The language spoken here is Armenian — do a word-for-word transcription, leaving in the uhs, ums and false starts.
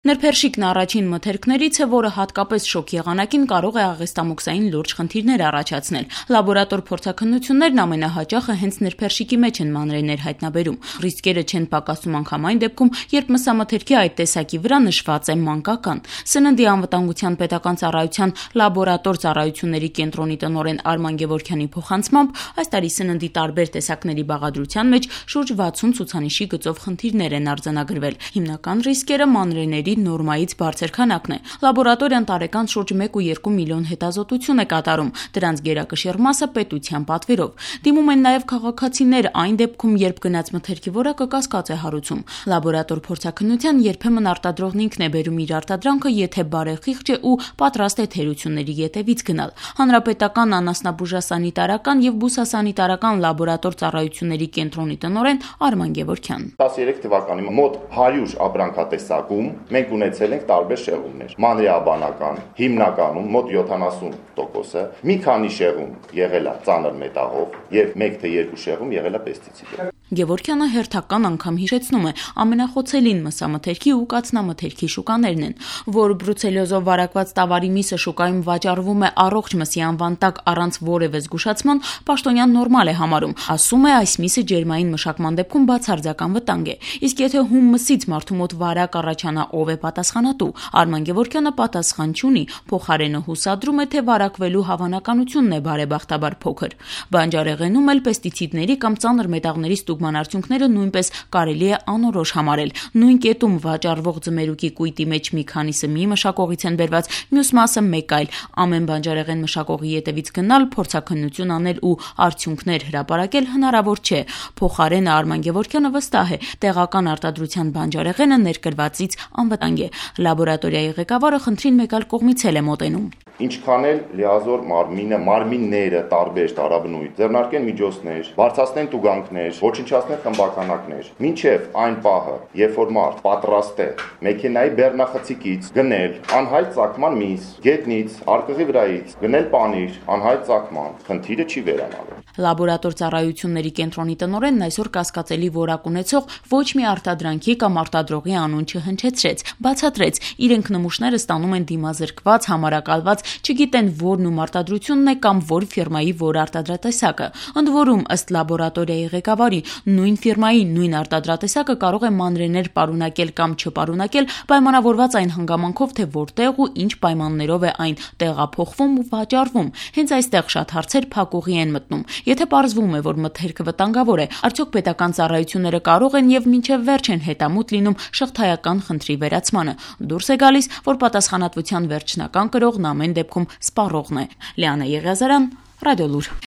Նրբերշիկն առաջին մթերքներից է, որը հատկապես շոկ եղանակին կարող է աղեստամոքսային լուրջ խնդիրներ առաջացնել։ Լաբորատոր փորձաքննություններն ամենահաճախը հենց նրբերշիկի մեջ են մանրէներ հայտնաբերում։ Ռիսկերը չեն պակասում անգամ այն դեպքում, երբ մսամթերքի այդ տեսակի վրա նշված է մանկական։ Սննդի անվտանգության պետական ծառայության լաբորատոր ծառայությունների կենտրոնի տնօրեն Արման Գևորգյանի փոխանցմամբ, այս տարի սննդի տարբեր տեսակների բաղադրության մեջ շուրջ վաթսուն ցուցանիշի գծով խնդիրներ են արձանագրվել։ Հիմնական ռիսկերը մանրէների նորմայից բարձր քանակն է։ Լաբորատորիան տարեկան շուրջ մեկ ու երկու միլիոն հետազոտություն է կատարում, դրանց գերակշիռ մասը պետության պատվերով։ Դիմում են նաև քաղաքացիներ այն դեպքում, երբ գնաց մթերքի որակը կասկած է հարուցում։ Լաբորատոր փորձաքննության երբեմն արտադրողն ինքն է բերում իր արտադրանքը, եթե բարեխիղճ է ու պատրաստ է թերությունների ետևից գնալ։ Հանրապետական անասնաբուժասանիտարական եւ բուսասանիտարական լաբորատոր ծառայությունների կենտրոնի տնօրեն Արման Գևորգյան։ տասներեք թվականի մոտ հարյուր ապրանքատեսակում մենք ունեցել ենք տարբեր շեղումներ։ Մանրէաբանական, հիմնականում մոտ յոթանասուն տոկոսը, մի քանի շեղում եղել է ծանր մետաղով եւ մեկ թե երկու շեղում եղել է պեստիցիդով։ Գևորգյանը հերթական անգամ հիշեցնում է, ամենախոցելին մսամթերքի ու կաթնամթերքի շուկաներն են, որ բրուցելիոզով վարակված տավարի միսը շուկայում վաճառվում է առողջ մսի անվան տակ առանց որևէ զգուշացման, Պաշտոնյան նորմալ է համարում, ասում է այս միսը ջերմային մշակման դեպքում բացարձական վտանգ է, իսկ եթե հում մսից մարդու մոտ վարակ առաջանա, ով է պատասխանատու։ Արման Գևորգյանը պատասխան չունի, փոխարենը հուսադրում է, թե վարակվելու հավանականությունն է բարեբախտաբար փոքր։ Բանջարեղենում էլ պեստիցիդների կամ ծանր մետաղների ստուգման արդյունքները նույնպես կարելի է անորոշ համարել։ Նույն կետում վաճառվող ձմերուկի կույտի մեջ մի քանիսը մի մշակողից են բերված, մյուս մասը մեկ այլ։ Ամեն բանջարեղեն մշակողի ետևից գնալ, փորձաքննություն անել ու արդյունքներ հրապարակել հնարավոր չէ։ Փոխարենը Արման Գևորգյանը վստահ է, տեղական արտադրության բանջարեղենը ներկրվածից անվտանգ է։ Լաբորատորիայի ղեկավարը խնդրին մեկ այլ կողմից էլ է մոտենում։ Ինչքան էլ լիազոր մարմինը, մարմինները տարբեր տարաբնույթ ձեռնարկեն միջոցներ, բարձրացնեն տուգանքներ, ոչնչացնեն խմբականակներ, մինչև այն պահը, երբ որ մարդ պատրաստ է մեքենայի բեռնախցիկից գնել անհայտ ծագման միս, գետնից, արկղի վրայից, գնել պանիր, անհայտ ծագման, խնդիրը չի վերանալու։ Լաբորատոր ծառայությունների կենտրոնի տնօրենն այսօր կասկածելի որակ ունեցող ոչ մի արտադրանքի կամ արտադրողի անուն չհնչեցրեց, բացատրեց, իրենք նմուշները ստանում են դիմազրկված, համարակալված, չգիտեն որն ում արտադրությունն է կամ որ ֆիրմայի որ արտադրատեսակը։ Ընդ որում, ըստ լաբորատորիայի ղեկավարի, նույն ֆիրմայի նույն արտադրատեսակը կարող է մանրէներ պարունակել կամ չպարունակել, պայմանավորված այն հանգամանքով, թե որտեղ ու ինչ պայմաններով է այն տեղափոխվում ու վաճառվում։ Հենց այստեղ շատ հարցեր փակուղի են մտնում։ Եթե պարզվում է, որ մթերքը վտանգավոր է, արդյոք պետական ծառայությունները կարող են եւ մինչեւ վերջ են հետամուտ լինում շղթայական խնդրի վերացմանը։ Դուրս է գալիս, որ պատասխանատվության վերջնական կրողն ամեն դեպքում սպառողն է։ Լիանա Եղիազարյան, Ռադիոլուր։